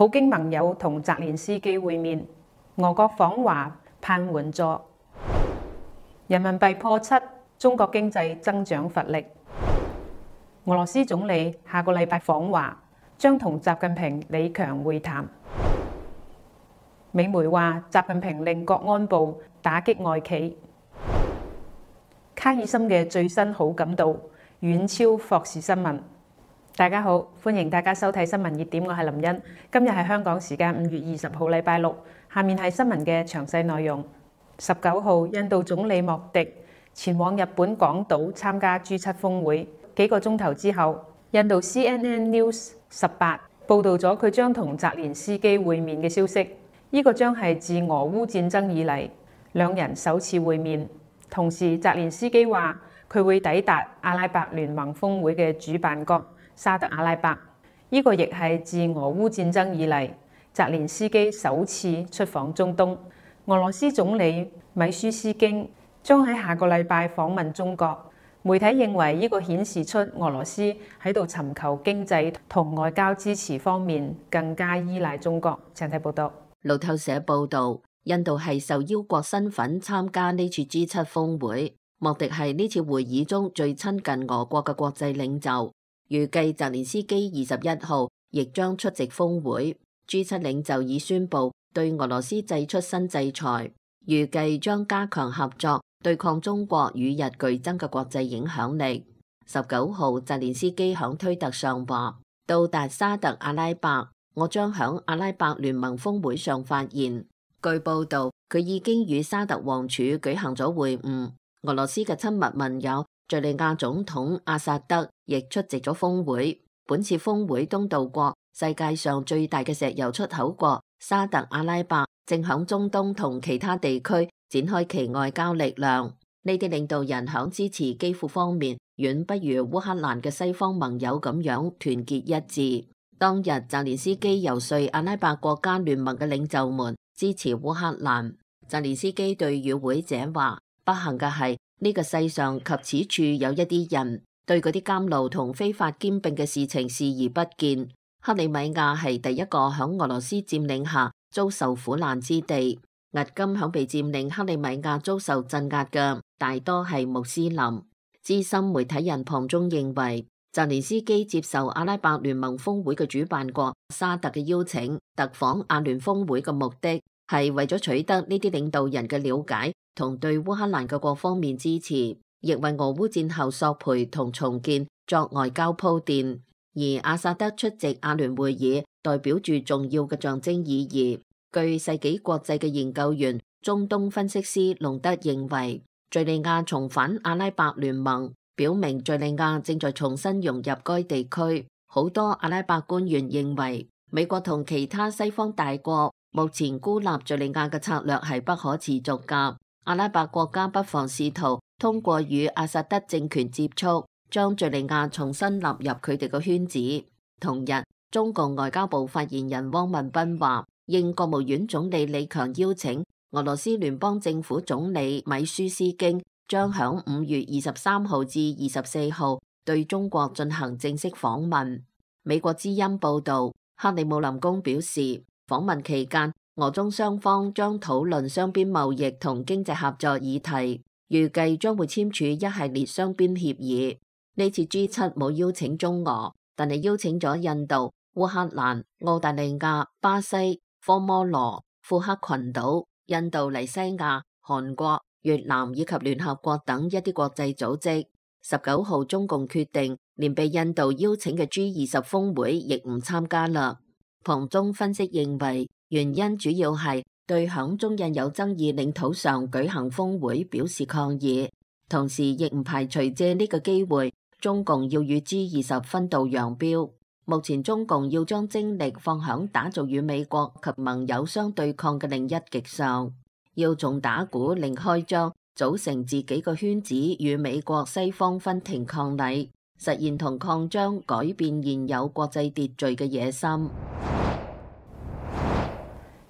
普京盟友同澤連斯基會面，俄國訪華盼援助。人民幣破7，中國經濟增長乏力。俄羅斯總理下個禮拜訪華，將同習近平、李強會談。美媒話習近平令國安部打擊外企。卡爾森嘅最新好感度遠超霍士新聞。大家好，歡迎大家收睇新聞熱點，我係林茵。今日係香港時間5月20號禮拜六，下面係新聞嘅詳細內容。19號，印度總理莫迪前往日本廣島參加 G7 峰會。幾個鐘頭之後，印度 CNN News 18報導咗佢將同澤連斯基會面嘅消息。呢個將係自俄烏戰爭以嚟兩人首次會面。同時，澤連斯基話佢會抵達阿拉伯聯盟峰會嘅主辦國沙特阿拉伯。呢個亦係自俄烏戰爭以嚟澤連斯基首次出訪中東。俄羅斯總理米舒斯京將喺下個禮拜訪問中國。媒體認為呢個顯示出俄羅斯喺度尋求經濟同外交支持方面更加依賴中國。請睇報道。路透社報導，印度係受邀國身份參加呢次 G7 峰會。莫迪係呢次會議中最親近俄國嘅國際領袖。預計澤連斯基21號亦將出席峰會。G7 領袖已宣布對俄羅斯祭出新制裁，預計將加強合作，對抗中國與日俱增嘅國際影響力。19號，澤連斯基響推特上話：到達沙特阿拉伯，我將響阿拉伯聯盟峰會上發言。據報道，佢已經與沙特王儲舉行咗會晤。俄羅斯嘅親密盟友敘利亞總統阿薩德亦出席咗峰會。本次峰會東道國、世界上最大嘅石油出口國沙特阿拉伯正響中東同其他地區展開其外交力量。呢啲領導人響支持基輔方面遠不如烏克蘭嘅西方盟友咁樣團結一致。當日澤連斯基游說阿拉伯國家聯盟嘅領袖們支持烏克蘭。澤連斯基對與會者話：不幸嘅係呢個世上及此處有一啲人對嗰啲監牢同非法兼併嘅事情視而不見。克里米亞係第一個響俄羅斯佔領下遭受苦難之地。迄今響被佔領克里米亞遭受鎮壓嘅大多係穆斯林。資深媒體人龐中認為，澤連斯基接受阿拉伯聯盟峰會嘅主辦國沙特嘅邀請，特訪阿聯峰會嘅目的係為咗取得呢啲領導人嘅了解同對烏克蘭嘅各方面支持，亦為俄烏戰後索賠同重建作外交鋪墊。而阿薩德出席阿聯會議，代表住重要嘅象徵意義。據世紀國際嘅研究員、中東分析師隆德認為，敘利亞重返阿拉伯聯盟，表明敘利亞正在重新融入該地區。好多阿拉伯官員認為，美國同其他西方大國目前孤立敘利亞嘅策略係不可持續㗎。阿拉伯國家不妨試圖通過與阿薩德政權接觸，將敘利亞重新納入佢哋嘅圈子。同日，中共外交部發言人汪文斌話，應國務院總理李強邀請，俄羅斯聯邦政府總理米舒斯京將響5月23號至24號對中國進行正式訪問。美國之音報導，克里姆林宮表示，訪問期間，俄中雙方將討論雙邊貿易同經濟合作議題，預計將會簽署一系列雙邊協議。呢次 G7 冇邀請中俄，但係邀請咗印度、烏克蘭、澳大利亞、巴西、科摩羅、庫克群島、印度尼西亞、韓國、越南以及聯合國等一啲國際組織。19號中共決定連被印度邀請嘅 G20 峰會亦唔參加啦。龐中分析認為，原因主要係對響中印有爭議領土上舉行峰會表示抗議，同時亦唔排除借呢個機會，中共要與 G20 分道揚鑣。目前中共要將精力放響打造與美國及盟友相對抗嘅另一極上，要從打鼓另開張，組成自己個圈子與美國西方分庭抗禮，實現同擴張改變現有國際秩序嘅野心。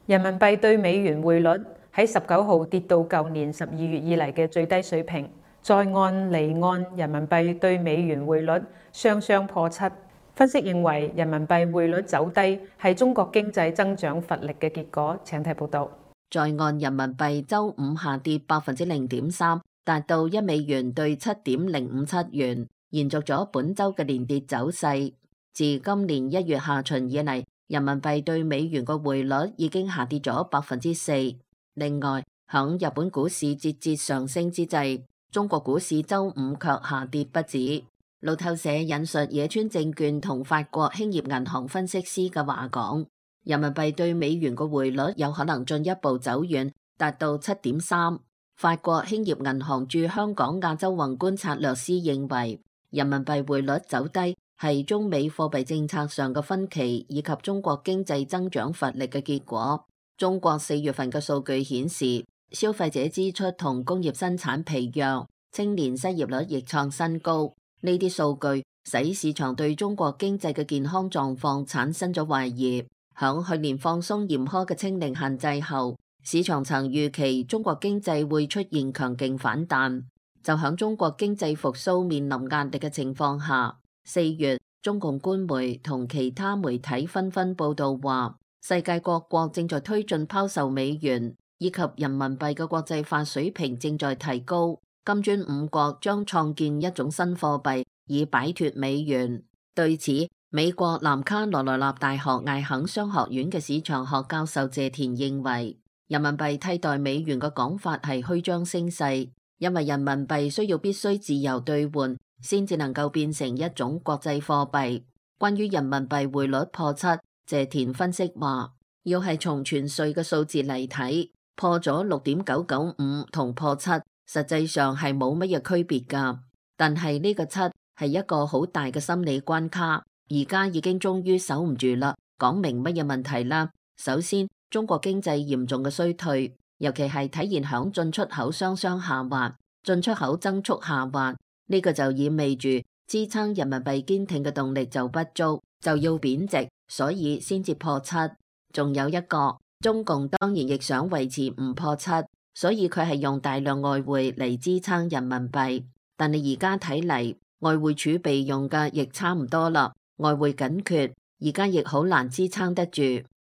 人民幣對美元匯率喺19號跌到舊年12月以嚟嘅最低水平，在岸離岸人民幣對美元匯率雙雙破7。分析認為，人民幣匯率走低係中國經濟增長乏力嘅結果。請睇報道。在岸人民幣週五下跌0.3%，達到1美元對7.057元，延續咗本週嘅連跌走勢。自今年1月下旬以嚟，人民幣對美元嘅匯率已經下跌咗4%。另外，響日本股市節節上升之際，中國股市週五卻下跌不止。路透社引述野村證券同法國興業銀行分析師嘅話講，人民幣對美元嘅匯率有可能進一步走軟，達到7.3。法國興業銀行駐香港亞洲宏觀策略師認為，人民幣匯率走低係中美貨幣政策上嘅分歧以及中國經濟增長乏力嘅結果。中國4月份嘅數據顯示，消費者支出同工業生產疲弱，青年失業率亦創新高。呢啲數據使市場對中國經濟嘅健康狀況產生咗懷疑。響去年放鬆嚴苛嘅清零限制後，市場曾預期中國經濟會出現強勁反彈。就響中國經濟復甦面臨壓力嘅情況下，4月中共官媒同其他媒體紛紛報道話，世界各國正在推進拋售美元，以及人民幣嘅國際化水平正在提高。金磚5國將創建一種新貨幣，以擺脫美元。對此，美國南卡羅來納大學艾肯商學院嘅市場學教授謝田認為，人民幣替代美元嘅講法係虛張聲勢，因為人民幣必須自由兌換，先至能夠變成一種國際貨幣。關於人民幣匯率破7，謝田分析話，要係從全稅嘅數字嚟睇，破咗6.995同破7。實際上係冇乜嘢區別㗎，但係呢個7係一個好大嘅心理關卡，而家已經終於守唔住啦。講明乜嘢問題啦？首先，中國經濟嚴重嘅衰退，尤其係體現響進出口雙雙下滑，進出口增速下滑，呢個就意味住支撐人民幣堅挺嘅動力就不足，就要貶值，所以先至破7。仲有一個，中共當然亦想維持唔破7。所以佢係用大量外匯嚟支撐人民幣，但係而家睇嚟，外匯儲備用嘅亦差唔多啦，外匯緊缺，而家亦好難支撐得住。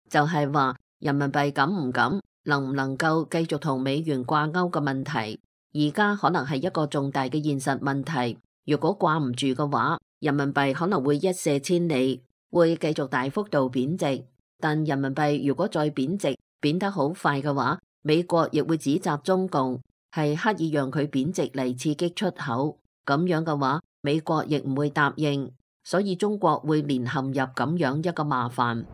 就係話人民幣敢唔敢，能唔能夠繼續同美元掛鈎嘅問題，而家可能係一個重大嘅現實問題。如果掛唔住嘅話，人民幣可能會一瀉千里，會繼續大幅度貶值。但人民幣如果再貶值，貶得好快嘅話，美國亦會指責中共係刻意讓佢貶值嚟刺激出口，咁樣嘅話，美國亦唔會答應，所以中國會連陷入咁樣一個麻煩。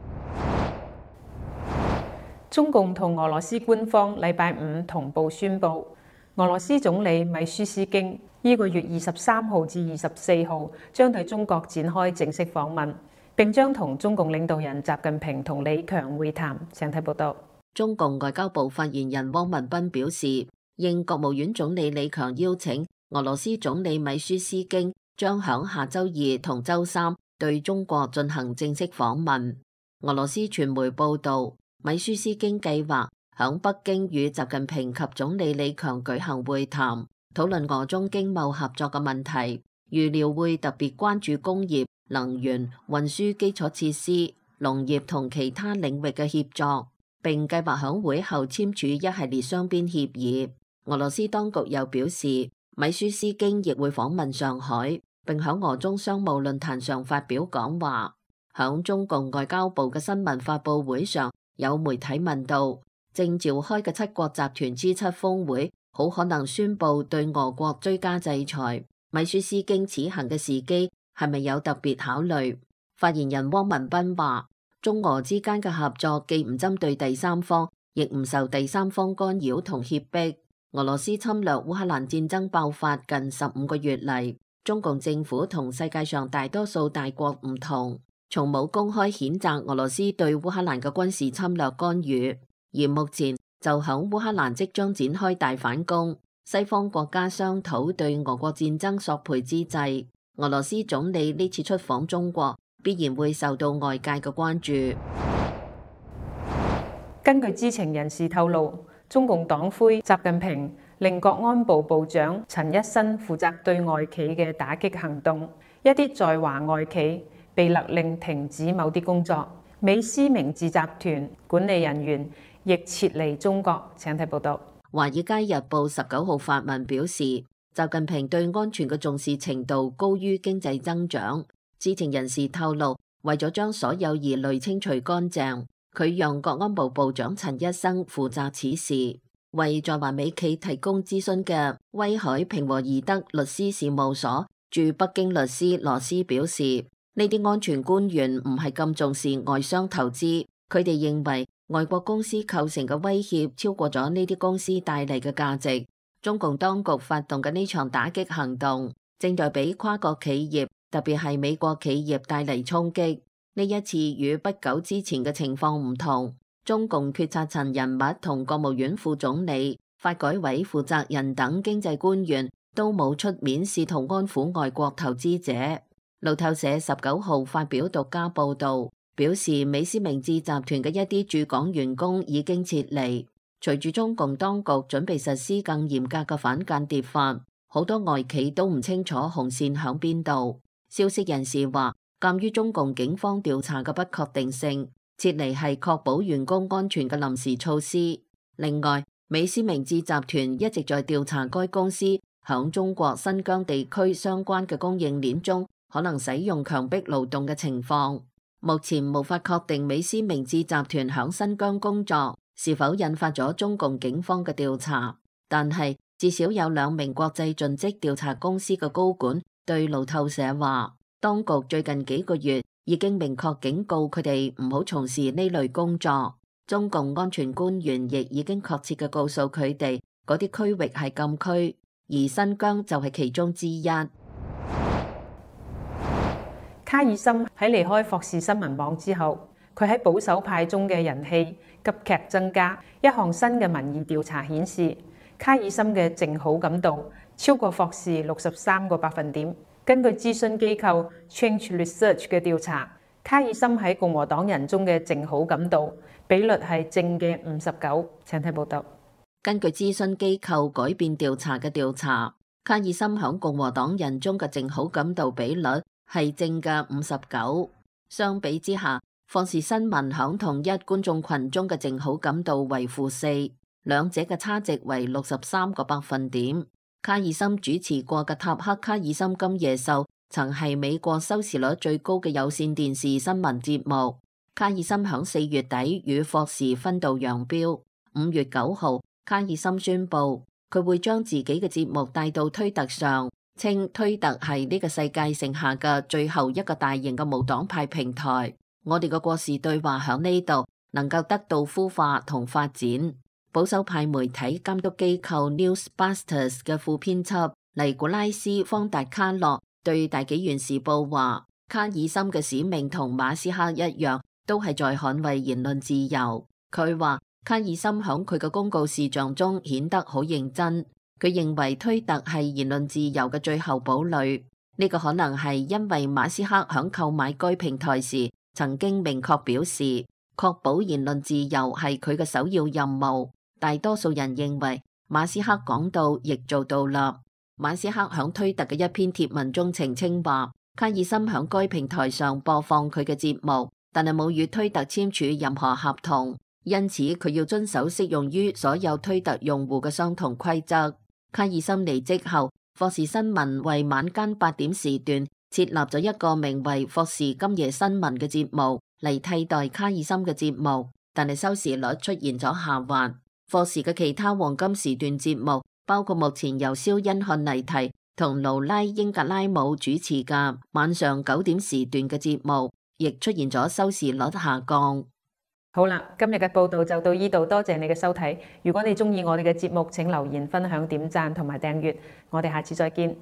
中共同俄羅斯官方禮拜五同步宣布，俄羅斯總理米舒斯京呢個月23號至24號將對中國展開正式訪問，並將同中共領導人習近平同李強會談。請睇報道。中共外交部發言人汪文斌表示，應國務院總理李強邀請，俄羅斯總理米舒斯京將響下周2同周3對中國進行正式訪問。俄羅斯傳媒報道，米舒斯京計劃響北京與習近平及總理李強舉行會談，討論俄中經貿合作嘅問題，預料會特別關注工業、能源、運輸基礎設施、農業同其他領域嘅協作，並計劃響會後簽署一系列雙邊協議。俄羅斯當局又表示，米舒斯京亦會訪問上海，並響俄中商務論壇上發表講話。響中共外交部嘅新聞發佈會上，有媒體問到，正召開嘅7國集團 G7 峰會好可能宣布對俄國追加制裁，米舒斯京此行嘅時機係咪有特別考慮？發言人汪文斌話，中俄之間嘅合作既唔針對第三方，亦唔受第三方干擾同脅迫。俄羅斯侵略烏克蘭戰爭爆發近15個月嚟，中共政府同世界上大多數大國唔同，從冇公開譴責俄羅斯對烏克蘭嘅軍事侵略干預，而目前就響烏克蘭即將展開大反攻，西方國家商討對俄國戰爭索賠之際，俄羅斯總理呢次出訪中國，必然會受到外界嘅關注。根據知情人士透露，中共黨魁習近平令國安部部長陳一新負責對外企嘅打擊行動，一啲在華外企被勒令停止某啲工作。美思明治集團管理人員亦撤離中國。請睇報道。《華爾街日報》19號發文表示，習近平對安全嘅重視程度高於經濟增長。知情人士透露，為咗將所有疑慮清除乾淨，佢讓國安部部長陳一生負責此事。為在華美企提供諮詢嘅威海平和宜德律師事務所駐北京律師羅斯表示，呢啲安全官員唔係咁重視外商投資，佢哋認為外國公司構成嘅威脅超過咗呢啲公司帶嚟嘅價值。中共當局發動嘅呢場打擊行動，正在俾跨國企業，特別係美國企業帶嚟衝擊。呢一次與不久之前嘅情況唔同，中共決策層人物同國務院副總理、發改委負責人等經濟官員都冇出面試圖安撫外國投資者。路透社19號發表獨家報導，表示美思明治集團嘅一啲駐港員工已經撤離。隨住中共當局準備實施更嚴格嘅反間諜法，好多外企都唔清楚紅線響邊度。消息人士話，鑑於中共警方調查嘅不確定性，撤離係確保員工安全嘅臨時措施。另外，美思明治集團一直在調查該公司響中國新疆地區相關嘅供應鏈中可能使用強迫勞動嘅情況。目前無法確定美思明治集團響新疆工作是否引發咗中共警方嘅調查，但係至少有2名國際盡職調查公司嘅高管對路透社話，當局最近幾個月已經明確警告佢哋唔好從事呢類工作。中共安全官員亦已經確切嘅告訴佢哋，嗰啲區域係禁區，而新疆就係其中之一。卡爾森喺離開霍士新聞網之後，佢喺保守派中嘅人氣急劇增加。一項新嘅民意調查顯示，卡爾森嘅淨好感度超過霍士63個百分點。根據諮詢機構 Change Research 嘅調查，卡爾森喺共和黨人中嘅淨好感度比率係正嘅59。請睇報道。根據諮詢機構改變調查嘅調查，卡爾森響共和黨人中嘅淨好感度比率係正嘅59。相比之下，霍士新聞響同一觀眾群中嘅淨好感度為-4，兩者嘅差值為63個百分點。卡爾森主持過嘅塔克卡爾森今夜秀曾係美國收視率最高嘅有線電視新聞節目。卡爾森響4月底與霍士分道揚鑣。5月9號，卡爾森宣布佢會將自己嘅節目帶到推特上，稱推特係呢個世界剩下嘅最後一個大型嘅無黨派平台。我哋嘅國事對話響呢度能夠得到孵化同發展。保守派媒體監督機構 Newsbusters 嘅副編輯尼古拉斯方達卡洛對大紀元時報話，卡爾森嘅使命同馬斯克一樣，都係在捍衛言論自由。佢話卡爾森響佢嘅公告事項中顯得好認真。佢認為推特係言論自由嘅最後堡壘。呢個可能係因為馬斯克響購買該平台時曾經明確表示，確保言論自由係佢嘅首要任務。大多數人認為馬斯克講到亦做到啦。馬斯克響推特嘅一篇貼文中澄清話，卡爾森響該平台上播放佢嘅節目，但係冇與推特簽署任何合同，因此佢要遵守適用於所有推特用戶嘅相同規則。卡爾森離職後，霍士新聞為晚間8點時段設立咗一個名為霍士今夜新聞嘅節目嚟替代卡爾森嘅節目，但係收視率出現咗下滑。霍士嘅其他黃金時段節目包括目前由肖恩漢尼提同勞拉英格拉姆主持嘅晚上9點時段嘅節目，亦出現咗收視率下降。好啦，今日嘅報道就到呢度，多謝你嘅收睇。如果你中意我哋嘅節目，請留言、分享、點讚同埋訂閱。我哋下次再見。